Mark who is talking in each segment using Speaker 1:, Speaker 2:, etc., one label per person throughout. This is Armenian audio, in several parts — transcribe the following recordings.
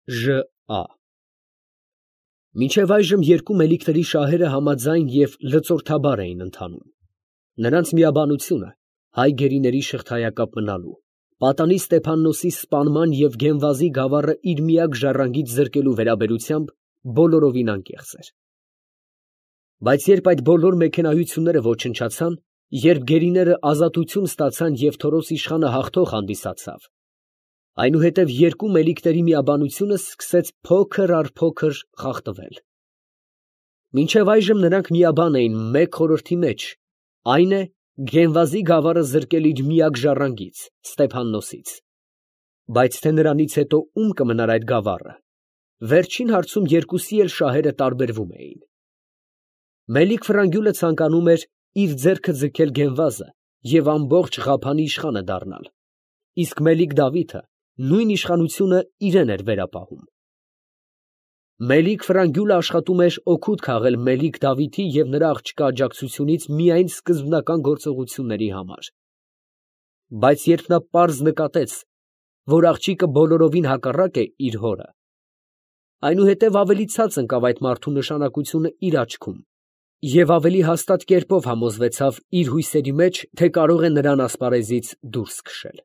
Speaker 1: Ժ.Ա. Մինչև այժմ երկու մելիքների շահերը համաձայն և լծորդաբար էին ընթանում. նրանց միաբանությունը հայ գերիների շղթայակապ մնալու, պատանի Ստեփաննոսի սպանման և Գենվազի գավառը իր միակ ժառանգից զրկելու վերաբերությամբ բոլորովին անկեղծ էր։ Բայց երբ այդ բոլոր մեքենայությունները ոչնչացան, երբ գերիները ազատություն ստացան և Թորոս իշխանը հաղթող հանդիսացավ, այնուհետև երկու մելիքների միաբանությունը սկսեց փոքր առ փոքր խախտվել։ Մինչև այժմ նրանք միաբան էին մեկ խորհրդի մեջ, այն է Գենվազի գավառը զրկել իր միակ ժառանգից՝ Ստեփաննոսից։ Բայց թե նրանից հետո ում կմնար այդ գավառը, վերջին հարցում երկուսի էլ շահերը տարբերվում էին։ Մելիք Ֆրանգյուլը ցանկանում էր իր ձեռքը ձգել Գենվազը և ամբողջ Ղափանի իշխանը դառնալ, իսկ Մելիք Դավիթը նույն իշխանությունը իրեն էր վերապահում։ Մելիք Ֆրանգյուլը աշխատում էր օգուտ քաղել Մելիք Դավիթի և նրա աղջկա աջակցությունից միայն սկզբնական գործողությունների համար։ Բայց երբ նա պարզ նկատեց, որ աղջիկը բոլորովին հակառակ է իր հորը, այնուհետև ավելի ցած ընկավ այդ մարդու նշանակությունը իր աչքում և ավելի հաստատ կերպով համոզվեցավ իր հույսերի մեջ, թե կարող է նրան ասպարեզից դուրս քշել։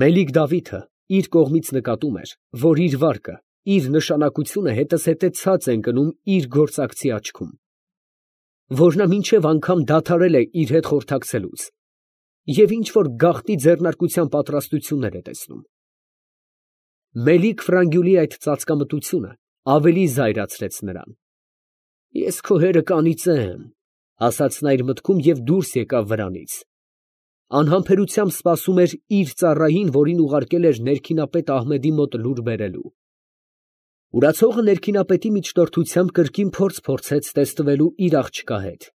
Speaker 1: Մելիք Դավիթը իր կողմից նկատում էր, որ իր վարկը, իր նշանակությունը հետզհետե ցած է ընկնում իր գործակցի աչքում, որ նա մինչև անգամ դադարել է իր հետ խորհրդակցելուց և ինչ֊որ գաղտնի ձեռնարկության պատրաստություններ է տեսնում։ Մելիք Ֆրանգյուլի այդ ծածկամտությունը ավելի զայրացրեց նրան։ «Ես քո հերը կանիծեմ», ասաց նա իր մտքում և դուրս եկավ վրանից։ Անհամբերությամբ սպասում էր իր ծառային, որին ուղարկել էր ներքինապետ Ահմեդի մոտ լուր բերելու։ Ուրացողը ներքինապետի միջնորդությամբ կրկին փորձ փորձեց տեսնվելու իր աղջկա հետ,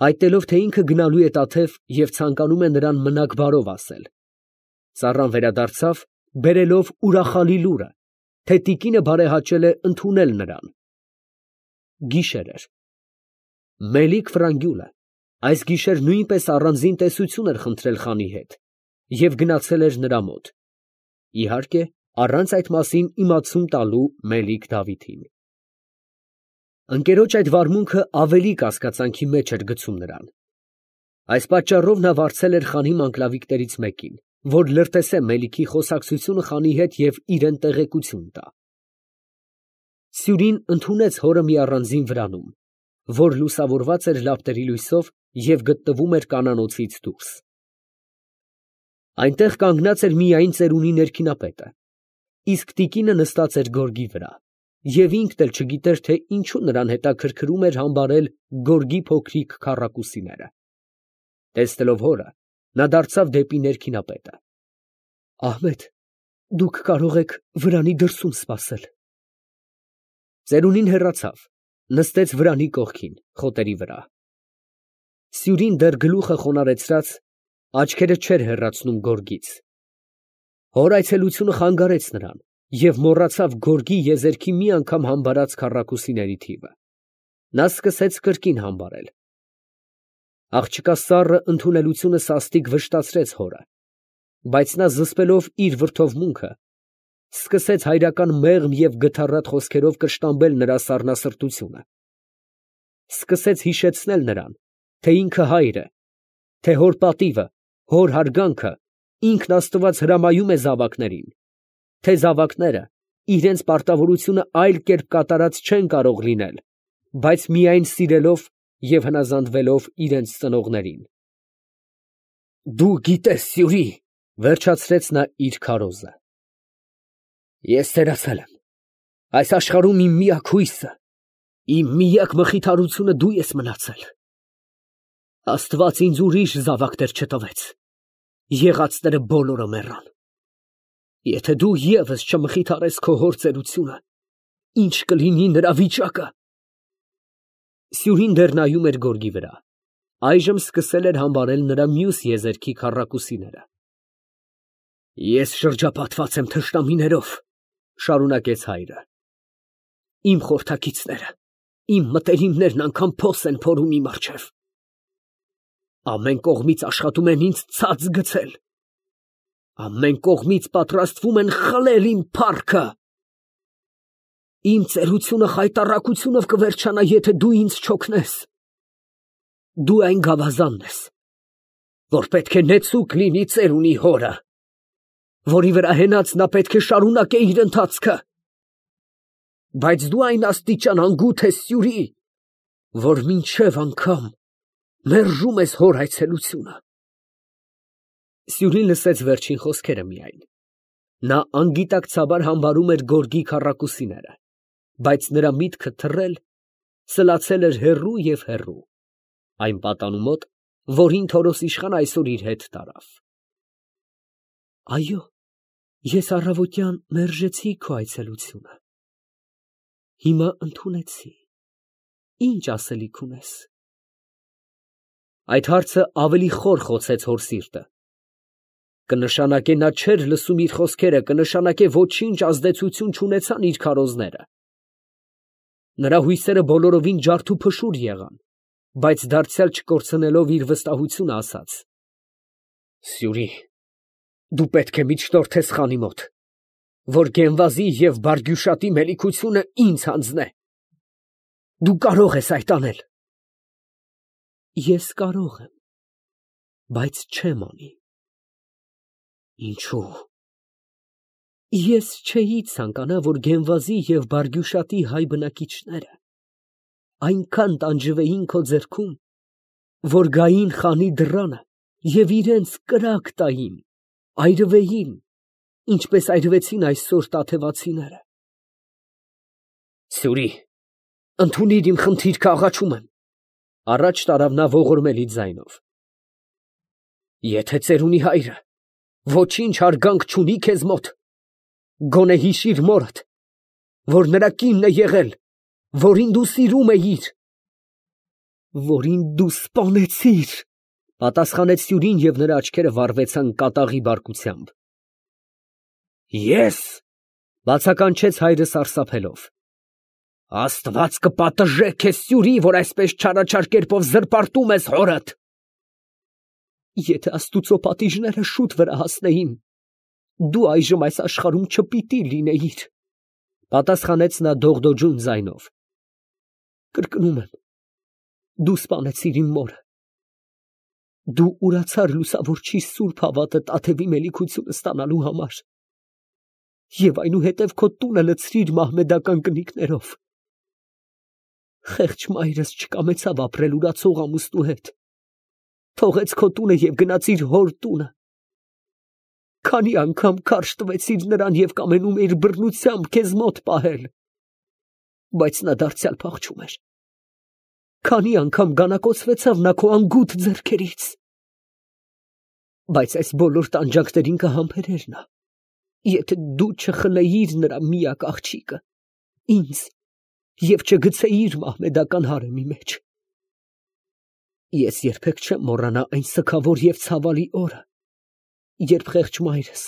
Speaker 1: հայտնելով, թե ինքը գնալու է Տաթև և ցանկանում է նրան մնաք բարով ասել։ Ծառան վերադարձավ, բերելով ուրախալի լուրը, թե տիկինը բարեհաճել է ընդունել նրան։ Գիշեր էր։ Մելիք Ֆրանգյուլը այս գիշեր նույնպես առանձին տեսություն էր խնդրել խանի հետ և գնացել էր նրա մոտ, իհարկե, առանց այդ մասին իմացում տալու Մելիք Դավիթին։ Ընկերոջ այդ վարմունքը ավելի կասկածանքի մեջ էր գցում նրան։ Այս պատճառով նա վարձել էր խանի մանկլավիկներից մեկին, որ լրտեսե Մելիքի խոսակցությունը խանի հետ և իրան տեղեկություն տա։ Սյուրին ընդունեց հորը մի առանձին վրանում, որ լուսավորված էր լապտերի լույսով և գտնվում էր կանանոցից դուրս։ Այնտեղ կանգնած էր միայն ծերունի ներքինապետը, իսկ տիկինը նստած էր գորգի վրա, և ինքն էլ չգիտեր, թե ինչու նրան հետաքրքրում էր համբարել գորգի փոքրիկ քառակուսիները։ Տեսնելով հորը, նա դարձավ դեպի ներքինապետը։ Ահմեդ, դուք կարող եք վրանի դրսում սպասել։ Ծերունին հեռացավ, նստեց վրանի կողքին, խոտերի վրա։ Սյուրին դեռ գլուխը խոնարհեցրած, աչքերը չէր հեռացնում գորգից։ Հոր այցելությունը խանգարեց նրան և մոռացավ գորգի եզերքի մի անգամ համբարած քառակուսիների թիվը։ Նա սկսեց կրկին համբարել։ Աղջկա սառը ընդունելությունը սաստիկ վշտացրեց հորը, բայց նա զսպելով իր վրդովմունքը, սկսեց հայրական մեղմ և գթառատ խոսքերով կշտամբել նրա սառնասրտությունը։ Սկսեց հիշեցնել նրան, թե ինքը հայր է, թե հոր պատիվը, հոր հարգանքը ինքն Աստված հրամայում է զավակներին, թե զավակները իրենց պարտավորությունը այլ կերպ կատարած չեն կարող լինել, բայց միայն սիրելով և հնազանդվելով իրենց ծնողներին։ Դու գիտես, Սյուրի, վերջացրեց նա իր քարոզը, ես սերացել եմ, այս աշխարհում իմ միակ հույսը, իմ միակ մխիթարությունը դու ես մնացել։ Աստված ինձ ուրիշ զավակներ չտվեց, եղածները բոլորը մեռան։ Եթե դու ևս չմխիթարես քո հոր ծերությունը, ի՞նչ կլինի նրա վիճակը։ Սյուրին դեռ նայում էր գորգի վրա, այժմ սկսել էր համբարել նրա մյուս եզերքի քառակուսիները։ Ես շրջապատված եմ թշնամիներով, շարունակեց հայրը։ Իմ խորհրդակիցները, իմ մտերիմներն անգամ փոս են փորում իմ առջև։ Ամեն կողմից աշխատում են ինձ ցած գցել։ Ամեն կողմից պատրաստվում են խլել իմ փառքը։ Իմ ծերությունը խայտառակությունով կվերջանա, եթե դու ինձ չօգնես։ Դու այն գավազանն ես, որ պետք է նեցուկ լինի ծերունի հորը, որի վրա հենած նա պետք է շարունակե իր ընթացքը։ Բայց դու այն աստիճան անգութ ես, Սյուրի, որ մինչև անգամ մերժում ես հոր այցելությունը։ Սյուրին լսեց վերջին խոսքերը միայն։ Նա անգիտակցաբար համբարում էր գորգի քառակուսիները, բայց նրա միտքը թռել, սլացել էր հեռու և հեռու, այն պատանու մոտ, որին Թորոս իշխան այսօր իր հետ տարավ։ Այո, ես առավոտյան մերժեցի քո այցելությունը։ Հիմա ընդունեցի։ Ինչ ասելիք ունես։ Այդ հարցը ավելի խոր խոցեց հոր սիրտը։ Կնշանակե նա չէր լսում իր խոսքերը, կնշանակե ոչինչ ազդեցություն չունեցան իր քարոզները։ Նրա հույսերը բոլորովին ջարդուփշուր եղան, բայց դարձյալ չկորցնելով իր վստահությունը ասաց. Սյուրի, դու պետք է միջնորդես խանի մոտ, որ Գենվազի և Բարգյուշատի մելիքությունը ինձ հանձնե։ Դու կարող ես այդ անել։ Ես կարող եմ, բայց չեմ անի։ Ինչու՞։ Ես չէի ցանկանա, որ Գենվազի և Բարգյուշատի հայ բնակիչները այնքան տանջվեին քո ձեռքում, որ գային խանի դռանը և իրենց կրակ տային, այրվեին, ինչպես այրվեցին այսօր տաթևացիները։ Սյուրի, ընդունիր իմ խնդիրքը, աղաչում եմ, առաջ տարավ նա ողորմելի ձայնով։ Եթե ծերունի հայրը ոչինչ հարգանք չունի քեզ մոտ, գոնե հիշիր մորդ, որ նրա կինն է եղել, որին դու սիրում էիր։ Որին դու սպանեցիր, պատասխանեց Սյուրին և նրա աչքերը վառվեցան կատաղի բարկությամբ։ Ես, բացականչեց հայրը սարսափելով։ Աստված կպատժե քեզ, Սյուրի, որ այսպես չարաչար կերպով զրպարտում ես հորդ։ Եթե աստուծո պատիժները շուտ վրա հասնեին, դու այժմ այս աշխարհում չպիտի լինեիր, պատասխանեց նա դողդոջուն ձայնով։ Կրկնում եմ, դու սպանեցիր իմ մորը։ Դու ուրացար լուսավորչի սուրբ հավատը տաթևի մելիքությունը ստանալու համար և այնուհետև քո տունը լցրիր մահմեդական կնիկներով։ Խեղճ մայրս չկամեցավ ապրել ուրացող ամուսնու հետ, թողեց քո տունը և գնաց իր հոր տունը։ Քանի անգամ քարշ տվեցիր նրան և կամենում էիր բռնությամբ քեզ մոտ պահել, բայց նա դարձյալ փախչում էր։ Քանի անգամ գանակոծվեցավ նա քո անգութ ձեռքերից։ Բայց այս բոլոր տանջանքներին կհամբերեր նա, եթե դու չխլեիր նրա միակ աղջիկը, ինձ, և չգցեիր մահմեդական հարեմի մեջ։ Ես երբեք չեմ մոռանա այն սգավոր և ցավալի օրը, երբ խեղճ մայրս,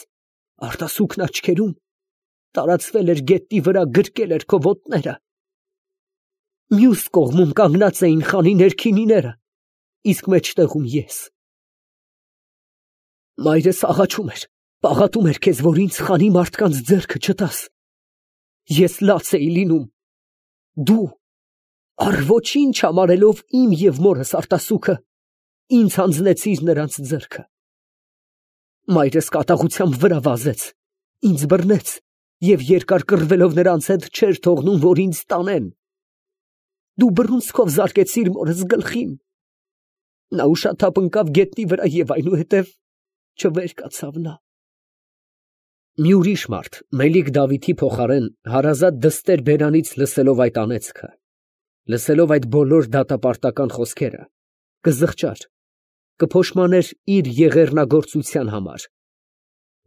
Speaker 1: արտասուքն աչքերում, տարածվել էր գետնի վրա, գրկել էր քո ոտները։ Մյուս կողմում կանգնած էին խանի ներքինիները, իսկ մեջտեղում ես։ Մայրս աղաչում էր, պաղատում էր քեզ, որ ինձ խանի մարդկանց ձեռքը չտաս։ Ես լաց էի լինում։ Դու, առ ոչինչ համարելով իմ և մորս արտասուքը, ինձ հանձնեցիր նրանց ձեռքը։ Մայրս կատաղությամբ վրա վազեց, ինձ բռնեց և երկար կռվելով նրանց հետ չէր թողնում, որ ինձ տանեն։ Դու բռունցքով զարկեցիր մորս գլխին։ Նա ուշաթափ ընկավ գետնի վրա և այնուհետև չվեր կացավ նա։ Մի ուրիշ մարդ, Մելիք Դավիթի փոխարեն, հարազատ դստեր բերանից լսելով այդ անեծքը, լսելով այդ բոլոր դատապարտական խոսքերը, կզղջար, կփոշմաներ իր եղեռնագործության համար,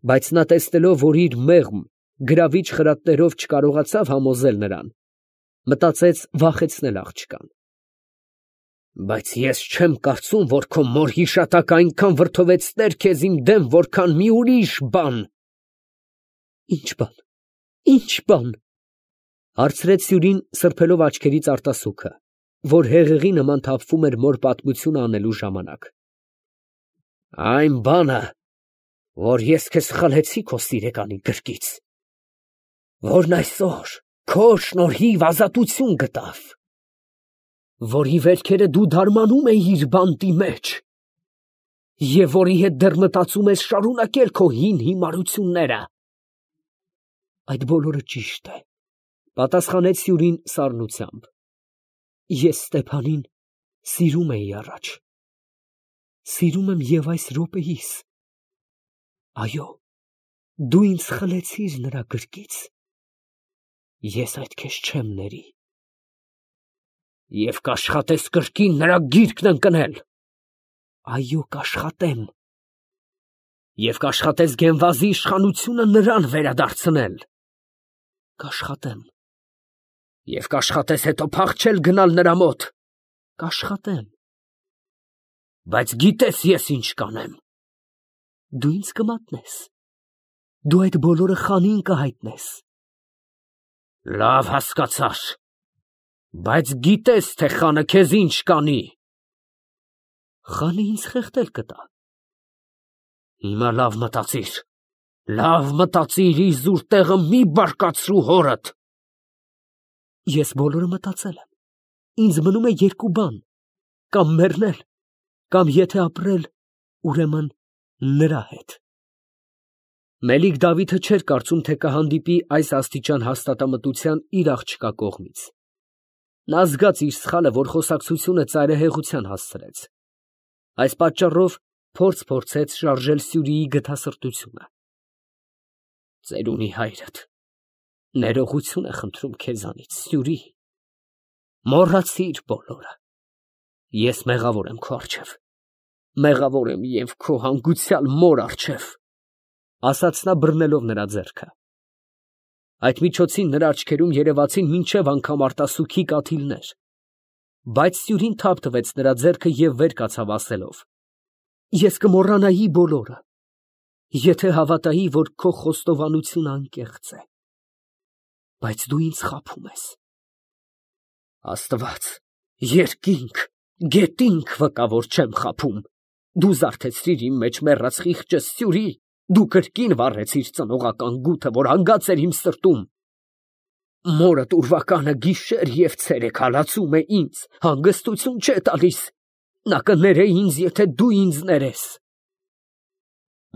Speaker 1: բայց նա տեսնելով, որ իր մեղմ, գրավիչ խրատներով չկարողացավ համոզել նրան, մտածեց վախեցնել աղջկան։ Բայց ես չեմ կարծում, որ քո մոր հիշատակը այնքան վրդովեցներ քեզ իմ դեմ, որքան մի ուրիշ բան։ Ի՞նչ բան, ի՞նչ բան, հարցրեց Սյուրին, սրբելով աչքերից արտասուքը, որ հեղեղի նման թափվում էր մոր պատմությունը անելու ժամանակ։ Այն բանը, որ ես քեզ խլեցի քո սիրեկանի գրկից, որն այսօր Քո շնորհիվ ազատություն գտավ, որի վերքերը դու դարմանում էիր բանտի մեջ, և որի հետ դեռ մտածում ես շարունակել քո հին հիմարությունները։ Այդ բոլորը ճիշտ է, պատասխանեց Սյուրին սառնությամբ։ Ես Ստեփանին սիրում էի առաջ, սիրում եմ և այս րոպեիս։ Այո, դու ինձ խլեցիր նրա գրկից, ես այդ քեզ չեմ ների։ Եվ կաշխատես կրկին նրա գիրկն ընկնել։ Այո, կաշխատեմ։ Եվ կաշխատես Գենվազի իշխանությունը նրան վերադարձնել։ Կաշխատեմ։ Եվ կաշխատես հետո փախչել գնալ նրա մոտ։ Կաշխատեմ։ Բայց գիտես ես ինչ կանեմ։ Դու ինձ կմատնես։ Դու այդ բոլորը խանին կհայտնես։ Լավ, հասկացար։ Բայց գիտես, թե խանը քեզ ինչ կանի։ Խանը ինձ խեղդել կտա։ Հիմա լավ մտածիր։ Լավ մտածիր, իզուր տեղը մի բարկացրու հորդ։ Ես բոլորը մտածել եմ։ Ինձ մնում է երկու բան. կամ մեռնել, կամ եթե ապրել, ուրեմն նրա հետ։ Մելիք Դավիթը չէր կարծում, թե կհանդիպի այս աստիճան հաստատամտության իր աղջկա կողմից։ Նա զգաց իր սխալը, որ խոսակցությունը ծայրահեղության հասցրեց։ Այս պատճառով փորձեց շարժել Սյուրիի գթասրտությունը։ Ծերունի հայրդ, ներողություն է խնդրում քեզանից, Սյուրի։ Մոռացիր բոլորը։ Ես մեղավոր եմ քո առջև։ Մեղավոր եմ և քո հանգուցյալ մոր առջև, ասաց նա բռնելով նրա ձեռքը։ Այդ միջոցին նրա աչքերում երևացին մինչև անգամ արտասուքի կաթիլներ, բայց Սյուրին թափ տվեց նրա ձեռքը և վեր կացավ ասելով. Ես կմոռանայի բոլորը, եթե հավատայի, որ քո խոստովանությունը անկեղծ է, բայց դու ինձ խաբում ես։ Աստված, երկինք, գետինք վկա, որ չեմ խաբում։ Դու զարթեցրիր իմ մեջ մեռած խիղճս, Սյուրի, դու կրկին վառեցիր ծնողական գութը, որ հանգած էր իմ սրտում։ Մորդ ուրվականը գիշեր և ցերեկ հալածում է ինձ, հանգստություն չէ տալիս։ Նա կներե ինձ, եթե դու ինձ ներես։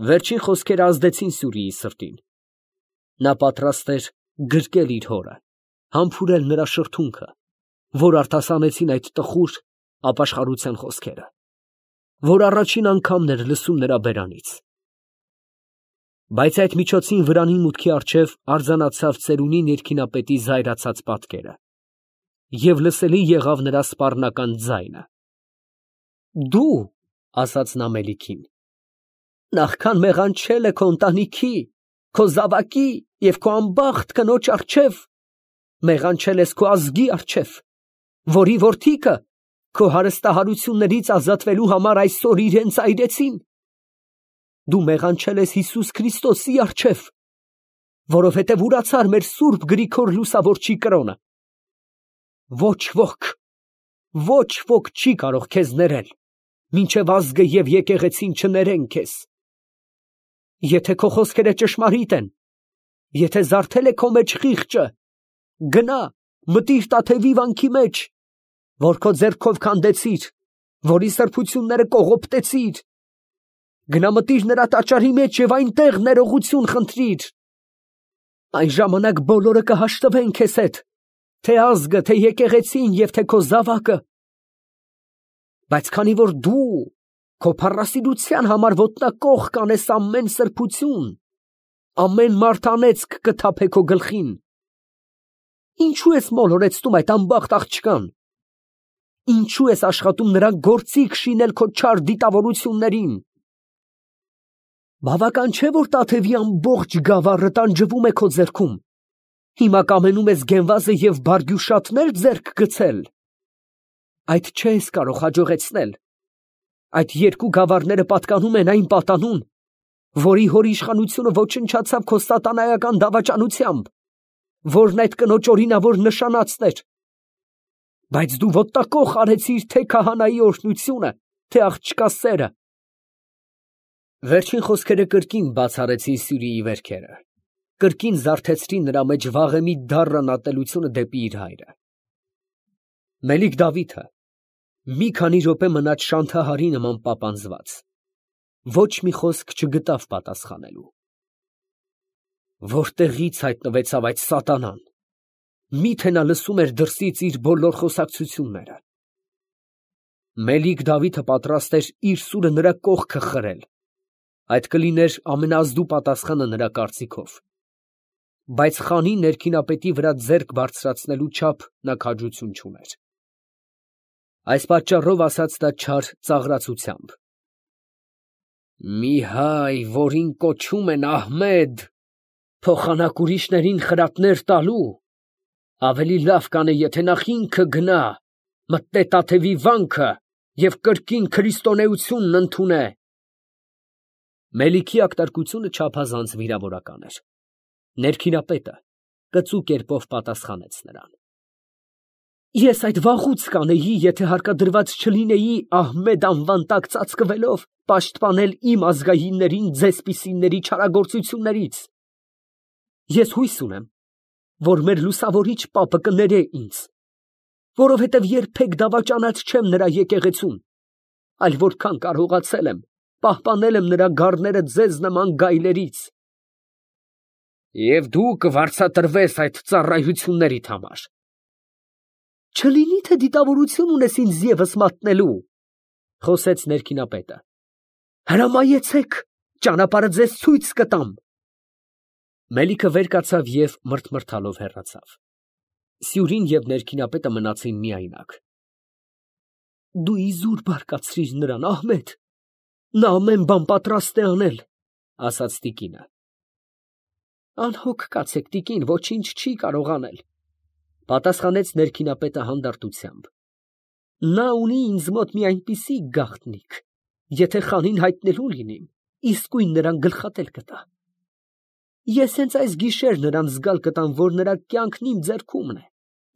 Speaker 1: Վերջին խոսքերը ազդեցին Սյուրիի սրտին։ Նա պատրաստ էր գրկել իր հորը, համբուրել նրա շրթունքը, որ արտասանեցին այդ տխուր ապաշխարության խոսքերը, որ առաջին անգամն էր լսում նրա բերանից։ Բայց այդ միջոցին վրանի մուտքի առջև արձանացավ ծերունի ներքինապետի զայրացած պատկերը, և լսելի եղավ նրա սպառնական ձայնը։ Դու, ասաց նա Մելիքին, նախքան մեղանչել է քո ընտանիքի, քո զավակի և քո անբախտ կնոջ առջև, մեղանչել ես քո ազգի առջև, որի որդիքը քո հարստահարություններից ազատվելու համար այսօր իրենց այրեցին։ Դու մեղանչել ես Հիսուս Քրիստոսի առջև, որովհետև ուրացար մեր սուրբ Գրիգոր Լուսավորչի կրոնը։ Ոչ ոք չի կարող քեզ ներել, մինչև ազգը և եկեղեցին չներեն քեզ։ Եթե քո խոսքերը ճշմարիտ են, եթե զարթել է քո մեջ խիղճը, գնա, մտիր Տաթևի վանքի մեջ, որ քո ձեռքով քանդեցիր, որի սրբությունները կողոպտեցիր։ Գնա մտիր նրա տաճարի մեջ և այնտեղ ներողություն խնդրիր։ Այն ժամանակ բոլորը կհաշտվեն քեզ հետ, թե ազգը, թե եկեղեցին և թե քո զավակը։ Բայց քանի որ դու քո փառասիրության համար ոտնակող կանես ամեն սրբություն, ամեն մարտանեծք կթափե քո գլխին, ինչու ես մոլորեցնում այդ անբախտ աղջկան։ Ինչու ես աշխատում նրան գործիք շինել քո չար դիտավորություններին։ Բավական չէ, որ Տաթևի ամբողջ գավառը տանջվում է քո ձեռքում, հիմա կամենում ես Գենվազը և Բարգյուշատներ ձեռք գցել։ Այդ չես կարող հաջողեցնել։ Այդ երկու գավառները պատկանում են այն պատանուն, որի հոր իշխանությունը ոչնչացավ քո սատանայական դավաճանությամբ, որն այդ կնոջ օրինավոր նշանածն էր։ Բայց դու ոտնակող արեցիր թե քահանայի օրհնությունը, թե աղջկա սերը։ Վերջին խոսքերը կրկին բաց արեցին Սյուրիի վերքերը։ կրկին զարթեցրին նրա մեջ վաղեմի դառն ատելությունը դեպի իր հայրը։ Մելիք Դավիթը մի քանի րոպե մնաց շանթահարի նման պապանձված, ոչ մի խոսք չգտավ պատասխանելու։ Որտեղից հայտնվեցավ այդ սատանան, միթե նա լսում էր դրսից իր բոլոր խոսակցությունները։ Մելիք Դավիթը պատրաստ էր իր սուրը նրա կողքը խրել, այդ կլիներ ամենազդու պատասխանը նրա կարծիքով, բայց խանի ներքինապետի վրա ձեռք բարձրացնելու չափ նա քաջություն չուներ։ Այս պատճառով ասաց նա չար ծաղրացությամբ. «Մի հայ, որին կոչում են Ահմեդ, փոխանակ ուրիշներին խրատներ տալու, ավելի լավ կանե, եթե նախ ինքը գնա, մտնե Տաթևի վանքը և կրկին քրիստոնեությունն ընդունե»։ Մելիքի ակտարկությունը չափազանց վիրավորական էր։ Ներքինապետը կծու կերպով պատասխանեց նրան. «Ես այդ վաղուց կանեի, եթե հարկադրված չլինեի Ահմեդ անվան տակ ծածկվելով պաշտպանել իմ ազգայիններին ձեզպիսիների չարագործություններից։ Ես հույս ունեմ, որ մեր լուսավորիչ պապը կներե ինձ, որովհետև երբեք դավաճանած չեմ նրա եկեղեցուն, այլ որքան կարողացել եմ, պահպանել եմ նրա գառները ձեզ նման գայլերից։ Եվ դու կվարձատրվես այդ ծառայություններիդ համար։ Չլինի թե դիտավորություն ունես ինձ ևս մատնելու, խոսեց ներքինապետը։ Հրամայեցեք, ճանապարհը ձեզ ցույց կտամ։ Մելիքը վեր կացավ և մռթմռթալով հեռացավ։ Սյուրին և ներքինապետը մնացին միայնակ։ Դու իզուր բարկացրիր նրան, Ահմեդ, նա ամեն բան պատրաստ է անել, ասաց տիկինը։ Անհոգ կացեք, տիկին, ոչինչ չի կարող անել, պատասխանեց ներքինապետը հանդարտությամբ։ Նա ունի ինձ մոտ մի այնպիսի գաղտնիք, եթե խանին հայտնելու լինիմ, իսկույն նրան գլխատել կտա։ Ես հենց այս գիշեր նրան զգալ կտամ, որ նրա կյանքն իմ ձեռքումն է,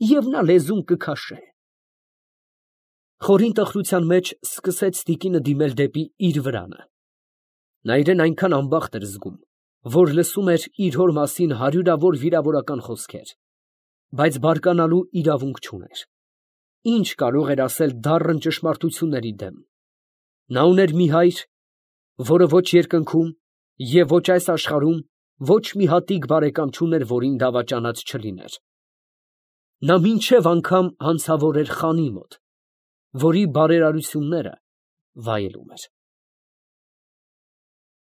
Speaker 1: և նա լեզուն կքաշե։ Խորին տխրության մեջ սկսեց տիկինը դիմել դեպի իր վրանը։ Նա իրեն այնքան անբախտ էր զգում, որ լսում էր իր հոր մասին հարյուրավոր վիրավորական խոսքեր, բայց բարկանալու իրավունք չուներ։ Ինչ կարող էր ասել դառն ճշմարտությունների դեմ։ Նա ուներ մի հայր, որը ոչ երկնքում և ոչ այս աշխարհում ոչ մի հատիկ բարեկամ չուներ, որին դավաճանած չլիներ։ Նա մինչև անգամ հանցավոր էր խանի մոտ, որի բարերարությունները վայելում էր։